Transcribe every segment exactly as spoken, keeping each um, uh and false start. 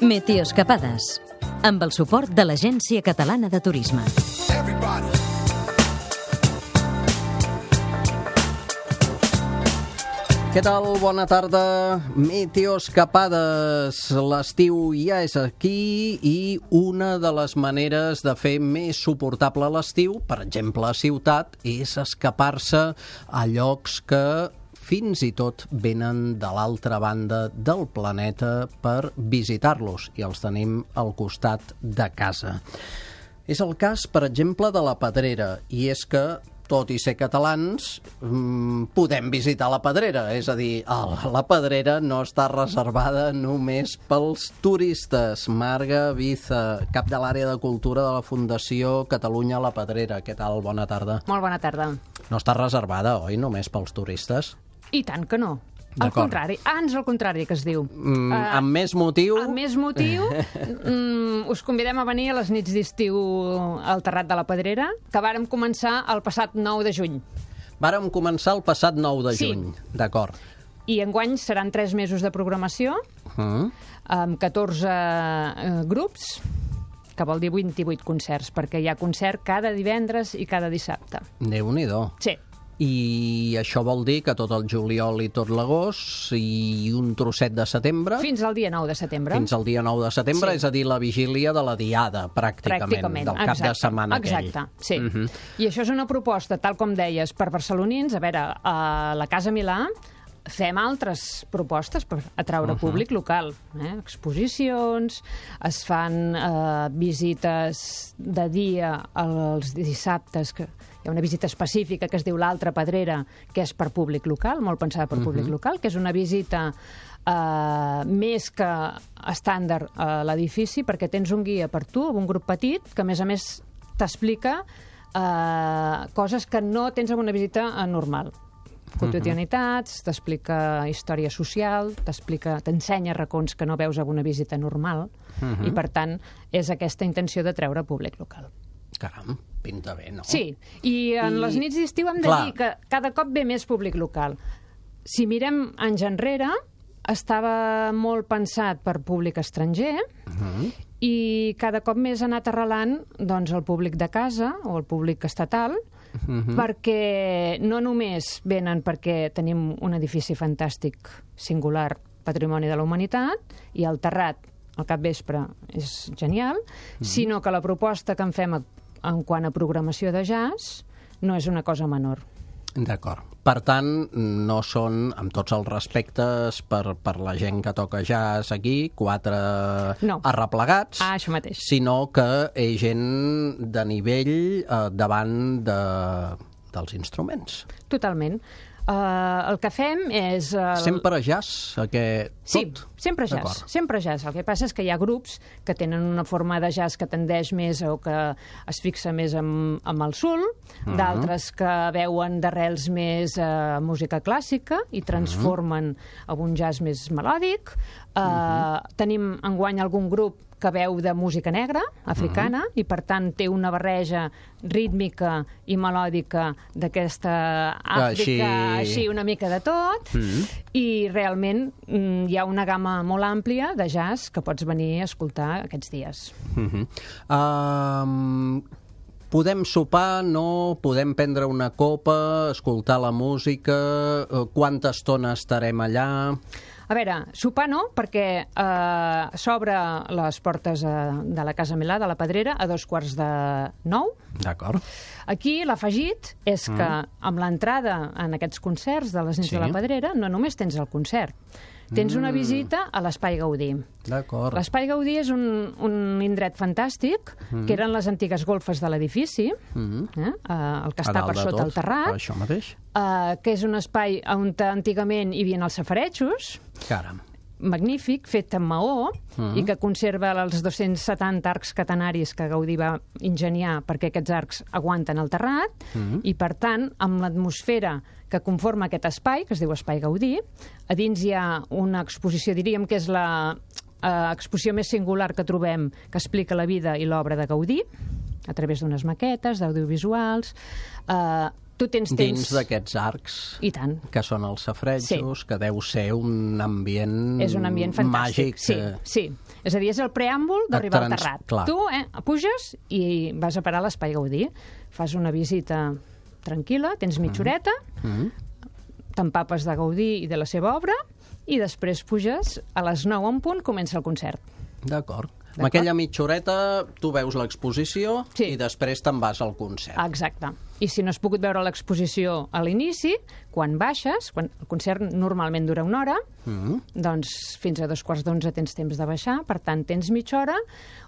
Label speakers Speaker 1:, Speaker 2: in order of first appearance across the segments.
Speaker 1: Meteoscapades, amb el suport de l'Agència Catalana de Turisme.
Speaker 2: Què tal? Bona tarda. Meteoscapades. L'estiu ja és aquí i una de les maneres de fer més suportable l'estiu, per exemple a ciutat, és escapar-se a llocs que fins i tot venen de l'altra banda del planeta per visitar-los i els tenim al costat de casa. És el cas, per exemple, de la Pedrera, i és que tot i ser catalans, podem visitar la Pedrera. És a dir, la Pedrera no està reservada només pels turistes. Marga Viza, cap de l'àrea de cultura de la Fundació Catalunya La Pedrera. Què tal? Bona tarda.
Speaker 3: Molt bona tarda.
Speaker 2: No està reservada, oi, només pels turistes?
Speaker 3: I tant que no. Al contrari, ans al contrari, que es diu.
Speaker 2: Mm, uh, amb més motiu...
Speaker 3: Amb més motiu, mm, us convidem a venir a les nits d'estiu al Terrat de la Pedrera, que vàrem començar el passat nou de juny.
Speaker 2: Vàrem començar el passat nou de
Speaker 3: Sí.
Speaker 2: juny, d'acord.
Speaker 3: I enguany seran tres mesos de programació,
Speaker 2: Mm.
Speaker 3: amb catorze eh, grups, que vol dir vint-i-vuit concerts, perquè hi ha concert cada divendres i cada dissabte.
Speaker 2: Déu-n'hi-do.
Speaker 3: Sí.
Speaker 2: I això vol dir que tot el juliol i tot l'agost i un trosset de setembre...
Speaker 3: Fins al dia nou de setembre.
Speaker 2: Fins al dia nou de setembre,
Speaker 3: Sí.
Speaker 2: és a dir, la vigília de la diada, pràcticament,
Speaker 3: Pràcticament,
Speaker 2: del cap
Speaker 3: exacte,
Speaker 2: de setmana aquell.
Speaker 3: Exacte, sí.
Speaker 2: Uh -huh.
Speaker 3: I això és una proposta, tal com deies, per barcelonins. A veure, a la Casa Milà fem altres propostes per atraure uh -huh. públic local. Eh? Exposicions, es fan eh, visites de dia els dissabtes, que hi ha una visita específica que es diu l'Altra Pedrera, que és per públic local, molt pensada per públic uh -huh. local, que és una visita eh, més que estàndard a l'edifici, perquè tens un guia per tu, un grup petit, que a més a més t'explica eh, coses que no tens en una visita normal. Quotidianitats, t'explica història social, t'explica, t'ensenya racons que no veus en una visita normal,
Speaker 2: Uh-huh.
Speaker 3: i per tant és aquesta intenció de treure públic local.
Speaker 2: Caram, pinta bé, no?
Speaker 3: Sí, i en
Speaker 2: I-
Speaker 3: les nits d'estiu hem de
Speaker 2: Clar.
Speaker 3: dir que cada cop ve més públic local. Si mirem anys enrere, estava molt pensat per públic estranger,
Speaker 2: Uh-huh.
Speaker 3: i cada cop més ha anat arrelant doncs, el públic de casa o el públic estatal,
Speaker 2: Uh-huh.
Speaker 3: perquè no només venen perquè tenim un edifici fantàstic, singular, patrimoni de la humanitat, i el Terrat al capvespre és genial, uh-huh. sinó que la proposta que en fem a, en quant a programació de jazz no és una cosa menor.
Speaker 2: D'acord. Per tant, no són, amb tots els respectes per, per la gent que toca jazz aquí, quatre
Speaker 3: No.
Speaker 2: arreplegats,
Speaker 3: Ah, això mateix.
Speaker 2: sinó que és gent de nivell eh, davant de, dels instruments.
Speaker 3: Totalment. Uh, el que fem és... Uh,
Speaker 2: Sempre jazz, que
Speaker 3: Sí,
Speaker 2: tot?
Speaker 3: sempre jazz,
Speaker 2: D'acord.
Speaker 3: sempre jazz. El que passa és que hi ha grups que tenen una forma de jazz que tendeix més o que es fixa més en, en el soul,
Speaker 2: Mhm.
Speaker 3: d'altres que veuen d'arrels més uh, música clàssica i transformen en un jazz més melòdic. Uh,
Speaker 2: Mhm.
Speaker 3: Tenim enguany algun grup que veu de música negra, africana,
Speaker 2: Mhm.
Speaker 3: i per tant té una barreja rítmica i melòdica d'aquesta Àfrica,
Speaker 2: Així-
Speaker 3: així una mica de tot,
Speaker 2: Mhm.
Speaker 3: i realment mm, hi ha una gamma molt àmplia de jazz que pots venir a escoltar aquests dies.
Speaker 2: Uh-huh. Um, podem sopar, no? Podem prendre una copa, escoltar la música, eh, quanta estona estarem allà?
Speaker 3: A veure, sopar no, perquè eh, s'obre les portes eh, de la Casa Milà, de la Pedrera, a dos quarts de nou.
Speaker 2: D'acord.
Speaker 3: Aquí l'afegit és que amb l'entrada en aquests concerts de les nits
Speaker 2: Sí.
Speaker 3: de la Pedrera no només tens el concert, tens una visita a l'Espai Gaudí.
Speaker 2: D'acord.
Speaker 3: L'Espai Gaudí és un, un indret fantàstic, que eren les antigues golfes de l'edifici,
Speaker 2: Mhm.
Speaker 3: eh, eh, el que
Speaker 2: A
Speaker 3: està
Speaker 2: dalt
Speaker 3: per
Speaker 2: de
Speaker 3: sota
Speaker 2: tot,
Speaker 3: el terrat,
Speaker 2: Això mateix.
Speaker 3: eh, que és un espai on antigament hi havia els safaretjos,
Speaker 2: Caram.
Speaker 3: magnífic, fet amb maó,
Speaker 2: Mhm.
Speaker 3: i que conserva els dos-cents setanta arcs catenaris que Gaudí va ingeniar perquè aquests arcs aguanten el terrat,
Speaker 2: Mhm.
Speaker 3: i per tant, amb l'atmosfera que conforma aquest espai, que es diu Espai Gaudí, a dins hi ha una exposició, diríem que és la eh, exposició més singular que trobem, que explica la vida i l'obra de Gaudí, a través d'unes maquetes, d'audiovisuals. Eh, tu tens temps...
Speaker 2: Dins d'aquests arcs,
Speaker 3: I tant.
Speaker 2: que són els safaretjos, sí. que deu ser un ambient,
Speaker 3: és un ambient fantàstic.
Speaker 2: màgic.
Speaker 3: Sí, sí. És a dir, és el preàmbul d'arribar
Speaker 2: trans...
Speaker 3: al terrat.
Speaker 2: Clar.
Speaker 3: Tu eh, puges i vas a parar a l'Espai Gaudí, fas una visita tranquil·la, tens mitja horeta,
Speaker 2: Mm.
Speaker 3: t'empapes de Gaudí i de la seva obra, i després puges, a les nou en punt, comença el concert.
Speaker 2: D'acord. Amb aquella mitja horeta tu veus l'exposició
Speaker 3: Sí.
Speaker 2: i després te'n vas al concert.
Speaker 3: Exacte. I si no has pogut veure l'exposició a l'inici, quan baixes, quan el concert normalment dura una hora,
Speaker 2: Mm.
Speaker 3: doncs fins a dos quarts d'onze tens temps de baixar, per tant tens mitja hora,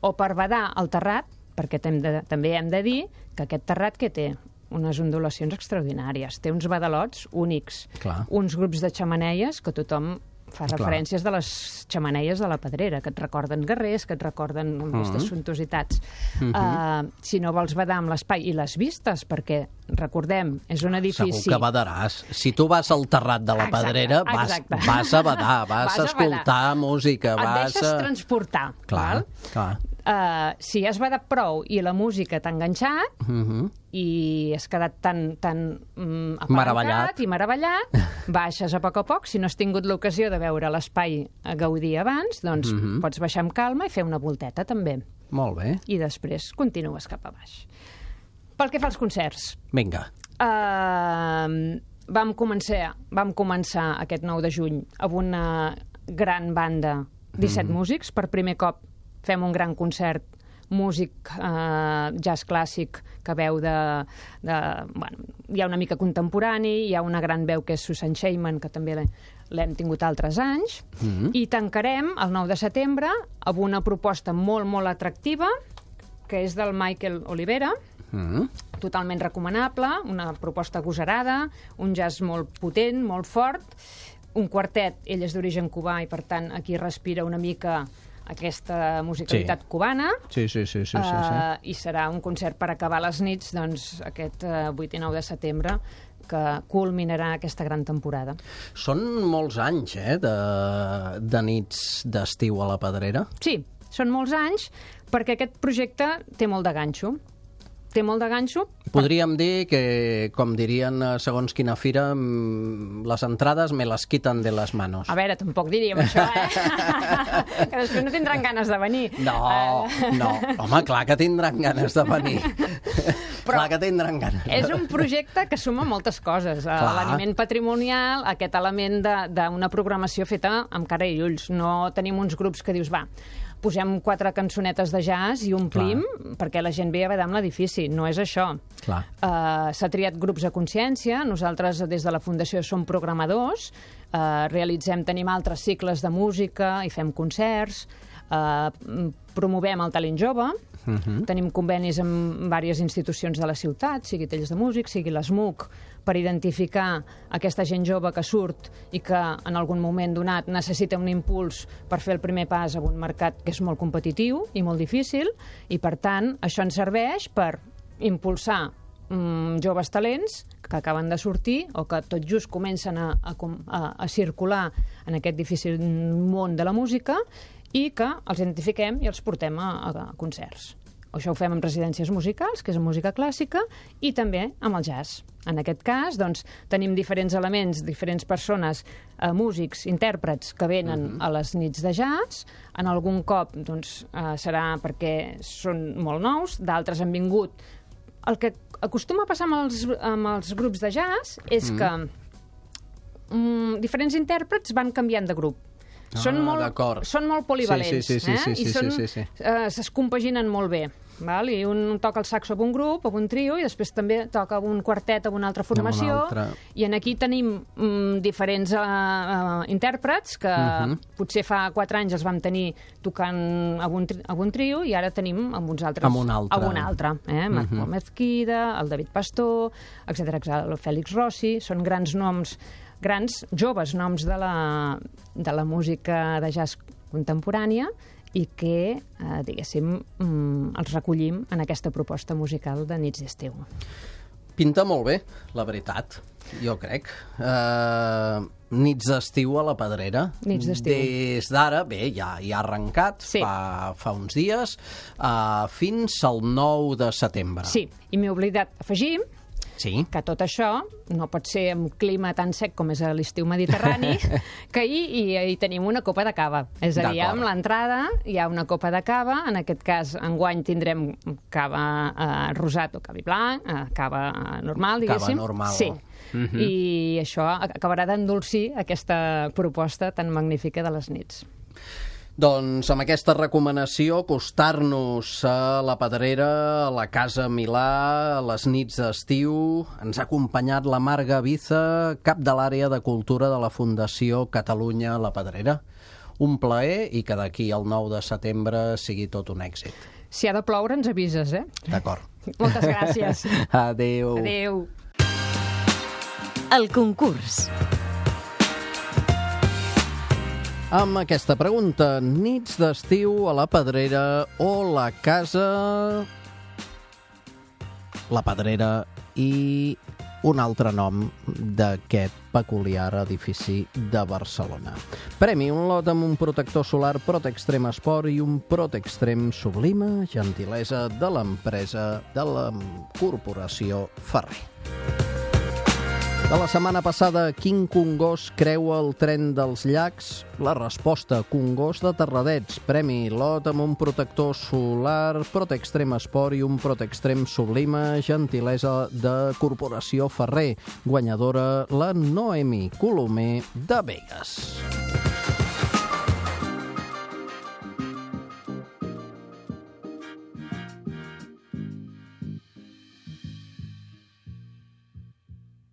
Speaker 3: o per badar al terrat, perquè hem de, també hem de dir que aquest terrat que té unes ondulacions extraordinàries, té uns badalots únics,
Speaker 2: Clar.
Speaker 3: uns grups de xamaneies que tothom fa
Speaker 2: Clar.
Speaker 3: referències de les xamaneies de la Pedrera, que et recorden guerrers, que et recorden aquestes suntuositats.
Speaker 2: Mhm.
Speaker 3: Uh, si no vols badar amb l'espai i les vistes, perquè, recordem, és un edifici...
Speaker 2: Segur que badaràs. Si tu vas al terrat de la
Speaker 3: Exacte,
Speaker 2: Pedrera, vas,
Speaker 3: exacte.
Speaker 2: vas a badar, vas,
Speaker 3: Vas
Speaker 2: a
Speaker 3: a
Speaker 2: escoltar
Speaker 3: badar.
Speaker 2: música,
Speaker 3: Et
Speaker 2: vas
Speaker 3: deixes
Speaker 2: a...
Speaker 3: transportar.
Speaker 2: Clar,
Speaker 3: val?
Speaker 2: clar.
Speaker 3: Uh, si has badat prou i la música t'ha enganxat,
Speaker 2: Mhm.
Speaker 3: i has quedat tan, tan mm, apalancat
Speaker 2: Meravellat.
Speaker 3: i meravellat, baixes a poc a poc. Si no has tingut l'ocasió de veure l'espai a Gaudí abans, doncs
Speaker 2: Mhm.
Speaker 3: pots baixar amb calma i fer una volteta, també.
Speaker 2: Molt bé.
Speaker 3: I després continues cap a baix. Pel que fa als concerts,
Speaker 2: Vinga.
Speaker 3: uh, vam, començar, vam començar aquest nou de juny amb una gran banda, disset
Speaker 2: Mhm.
Speaker 3: músics. Per primer cop fem un gran concert músic eh, jazz clàssic que veu de, de... Bueno, hi ha una mica contemporani, hi ha una gran veu que és Susan Sheiman, que també l'he- l'hem tingut altres anys,
Speaker 2: Mhm.
Speaker 3: i tancarem el nou de setembre amb una proposta molt, molt atractiva, que és del Michael Olivera,
Speaker 2: Mm.
Speaker 3: totalment recomanable, una proposta agosarada, un jazz molt potent, molt fort, un quartet, ell és d'origen cubà i per tant aquí respira una mica aquesta musicalitat
Speaker 2: Sí.
Speaker 3: cubana.
Speaker 2: Sí, sí, sí, sí, sí, sí.
Speaker 3: Uh, i serà un concert per acabar les nits, doncs, aquest uh, vuit i nou de setembre, que culminarà aquesta gran temporada.
Speaker 2: Són molts anys, eh, de, de nits d'estiu a la Pedrera.
Speaker 3: Sí, són molts anys, perquè aquest projecte té molt de ganxo. Té molt de ganxo.
Speaker 2: Podríem dir que, com dirien eh, segons quina fira, mm, les entrades me les quiten de les manos.
Speaker 3: A veure, tampoc diríem això, eh? Que després no tindran ganes de venir.
Speaker 2: No,
Speaker 3: Eh,
Speaker 2: no. Home, clar que tindran ganes de venir.
Speaker 3: Però
Speaker 2: clar que tindran ganes.
Speaker 3: És un projecte que suma moltes coses. Eh,
Speaker 2: Clar.
Speaker 3: L'aliment patrimonial, aquest element de- d'una programació feta amb cara i ulls. No tenim uns grups que dius, va, posem quatre cançonetes de jazz i omplim perquè la gent ve a badar amb l'edifici. No és això.
Speaker 2: Clar.
Speaker 3: Uh, S'ha triat grups a consciència. Nosaltres, des de la Fundació, som programadors. Uh, realitzem, tenim altres cicles de música i fem concerts. Uh, promovem el talent jove.
Speaker 2: Mhm.
Speaker 3: Tenim convenis amb diverses institucions de la ciutat, sigui Tells de Músic, sigui l'ESMUC, per identificar aquesta gent jove que surt i que en algun moment donat necessita un impuls per fer el primer pas a un mercat que és molt competitiu i molt difícil, i per tant això ens serveix per impulsar mm, joves talents que acaben de sortir o que tot just comencen a, a, a, a circular en aquest difícil món de la música, i que els identifiquem i els portem a, a concerts. Això ho fem amb residències musicals, que és música clàssica, i també amb el jazz. En aquest cas, doncs, tenim diferents elements, diferents persones, eh, músics, intèrprets, que venen
Speaker 2: Mhm.
Speaker 3: a les nits de jazz. En algun cop doncs, eh, serà perquè són molt nous, d'altres han vingut. El que acostuma a passar amb els, amb els grups de jazz és
Speaker 2: Mhm.
Speaker 3: que mm, diferents intèrprets van canviant de grup. Són
Speaker 2: Ah,
Speaker 3: molt,
Speaker 2: d'acord.
Speaker 3: són molt polivalents,
Speaker 2: Sí, sí, sí,
Speaker 3: eh?
Speaker 2: sí, sí,
Speaker 3: I
Speaker 2: sí,
Speaker 3: són,
Speaker 2: sí, sí.
Speaker 3: eh, es compaginen molt bé. Val? I un toca el saxo amb un grup, amb un trio, i després també toca amb un quartet amb una altra formació.
Speaker 2: altra.
Speaker 3: I en aquí tenim mm, diferents eh, eh, intèrprets que
Speaker 2: Mhm.
Speaker 3: potser fa quatre anys els vam tenir tocant amb un, tri amb un trio, i ara tenim amb uns altres.
Speaker 2: Amb un altre.
Speaker 3: Amb un altre. Eh?
Speaker 2: Mhm.
Speaker 3: Marc Mezquida, el David Pastor, etcètera, etcètera, el Fèlix Rossi. Són grans noms, grans, joves noms de la, de la música de jazz contemporània, i que, eh, diguéssim, mm, els recollim en aquesta proposta musical de nits d'estiu.
Speaker 2: Pinta molt bé, la veritat, jo crec. Uh, nits d'estiu a la Pedrera.
Speaker 3: Nits d'estiu.
Speaker 2: Des d'ara, bé, ja, ja ha arrencat,
Speaker 3: Sí.
Speaker 2: fa, fa uns dies, uh, fins al nou de setembre.
Speaker 3: Sí, i m'he oblidat afegir
Speaker 2: Sí.
Speaker 3: Que tot això no pot ser amb clima tan sec com és a l'estiu mediterrani, que ahir hi, hi tenim una copa de cava. És a dir, amb l'entrada hi ha una copa de cava, en aquest cas, enguany tindrem cava eh, rosat o cavi blanc, eh, cava normal, diguéssim.
Speaker 2: Cava normal.
Speaker 3: Sí.
Speaker 2: Uh-huh.
Speaker 3: I això acabarà d'endolcir aquesta proposta tan magnífica de les nits.
Speaker 2: Doncs amb aquesta recomanació, acostar-nos a la Pedrera, a la Casa Milà, a les nits d'estiu, ens ha acompanyat la Marga Biza, cap de l'àrea de cultura de la Fundació Catalunya La Pedrera. Un plaer i que d'aquí al nou de setembre sigui tot un èxit.
Speaker 3: Si ha de ploure, ens avises, eh?
Speaker 2: D'acord.
Speaker 3: Moltes gràcies.
Speaker 2: Adéu.
Speaker 3: Adéu.
Speaker 1: El concurs.
Speaker 2: Amb aquesta pregunta, nits d'estiu a la Pedrera o la Casa... La Pedrera i un altre nom d'aquest peculiar edifici de Barcelona. Premi, un lot amb un protector solar Protextrem Esport i un Protextrem Sublima, gentilesa de l'empresa de la Corporació Ferrer. De la setmana passada, quin congost creua el tren dels llacs? La resposta, congost de Terradets. Premi, lot amb un protector solar, Protextrem Esport i un Protextrem Sublima, gentilesa de Corporació Ferrer. Guanyadora, la Noemi Colomer de Begues.